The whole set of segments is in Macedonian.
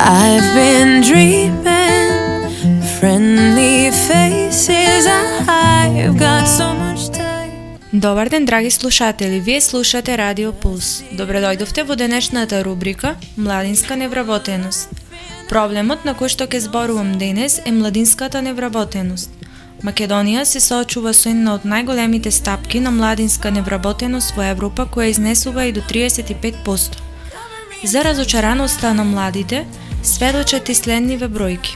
I've been dreaming friendly faces. I've got so much time. Добар ден, драги слушатели, вие слушате Радио Пулс. Добре дојдовте во денешната рубрика Младинска невработеност. Проблемот на кој што ќе зборувам денес е младинската невработеност. Македонија се соочува со една од најголемите стапки на младинска невработеност во Европа, која изнесува и до 35%. За разочараноста на младите сведочат и следниве бројки.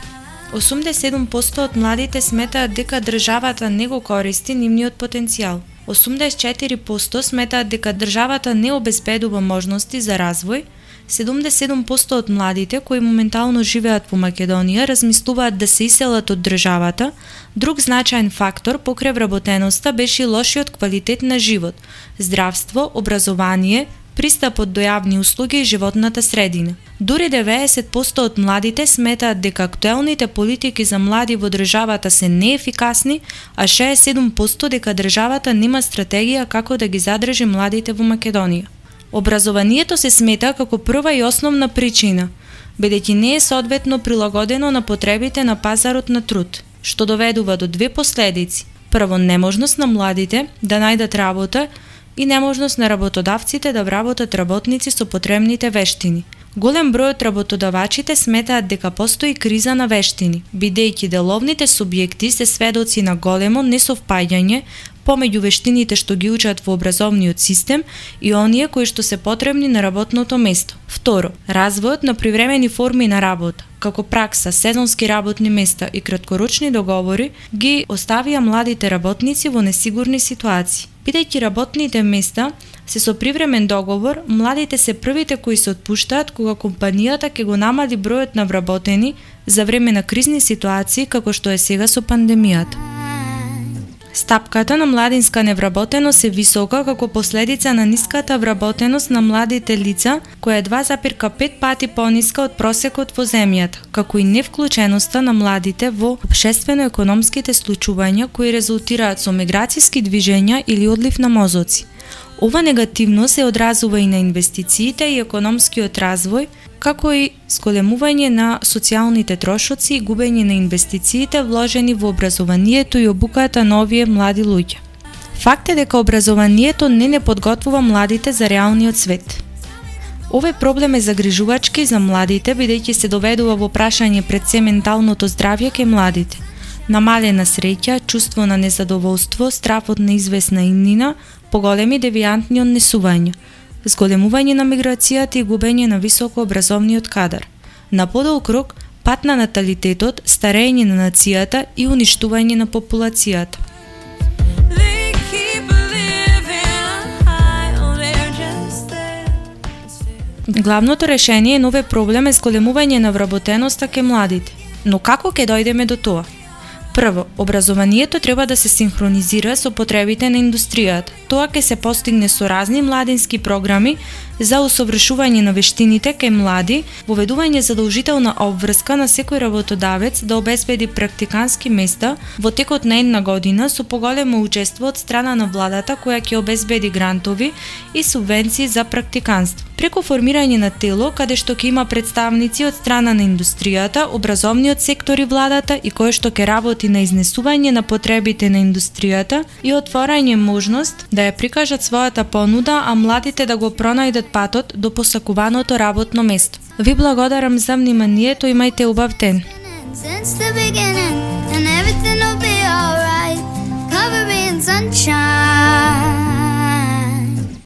87% од младите сметаат дека државата не го користи нивниот потенцијал. 84% сметаат дека државата не обезбедува можности за развој. 77% од младите кои моментално живеат во Македонија размислуваат да се иселат од државата. Друг значаен фактор покрај вработеноста беше лошиот квалитет на живот, здравство, образование, пристапот до јавни услуги и животната средина. Дури 90% од младите сметаат дека актуелните политики за млади во државата се неефикасни, а 67% дека државата нема стратегија како да ги задржи младите во Македонија. Образованието се смета како прва и основна причина, бидејќи не е соодветно прилагодено на потребите на пазарот на труд, што доведува до две последици. Прво, неможност на младите да најдат работа и неможност на работодавците да вработат работници со потребните вештини. Голем број од работодавачите сметаат дека постои криза на вештини, бидејќи деловните субјекти се сведоци на големо несовпаѓање помеѓу вештините што ги учат во образовниот систем и оние кои што се потребни на работното место. Второ, развојот на привремени форми на работа, како пракса, сезонски работни места и краткорочни договори, ги оставија младите работници во несигурни ситуации. Бидејќи работните места се со привремен договор, младите се првите кои се отпуштаат кога компанијата ќе го намали бројот на вработени за време на кризни ситуации како што е сега со пандемијата. Стапката на младинска невработеност е висока како последица на ниската вработеност на младите лица, која е 2,5 пати пониска од просекот во земјата, како и невклученоста на младите во општествено-економските случувања кои резултираат со миграцијски движења или одлив на мозоци. Ова негативно се одразува и на инвестициите и економскиот развој, како и зголемување на социјалните трошоци и губење на инвестициите вложени во образованието и обуката на овие млади луѓе. Факт е дека образованието не подготвува младите за реалниот свет. Овој проблем е загрижувачки за младите, бидејќи се доведува во прашање пред се менталното здравје кај младите. Намалена среќа, чувство на незадоволство, страв од неизвестна иднина, поголеми девијантни однесувања, зголемување на миграцијата и губење на високообразовниот кадар. На подолг рок, пат на наталитетот, старење на нацијата и уништување на популацијата. Главното решение на овој проблем е зголемување на вработеноста кај младите. Но како ќе дојдеме до тоа? Прво, образованието треба да се синхронизира со потребите на индустријата. Тоа ќе се постигне со разни младински програми за усовршување на вештините кај млади, воведување задолжителна обврска на секој работодавец да обезбеди практикански места во текот на една година со поголемо учество од страна на владата која ќе обезбеди грантови и субвенции за практиканство. Преку формирање на тело каде што ќе има представници од страна на индустријата, образовниот сектор и владата и кој што ќе работи на изнесување на потребите на индустријата и отворање можност да ја прикажат својата понуда, а младите да го пронајдат патот до посакуваното работно место. Ви благодарам за вниманието, имајте убав ден.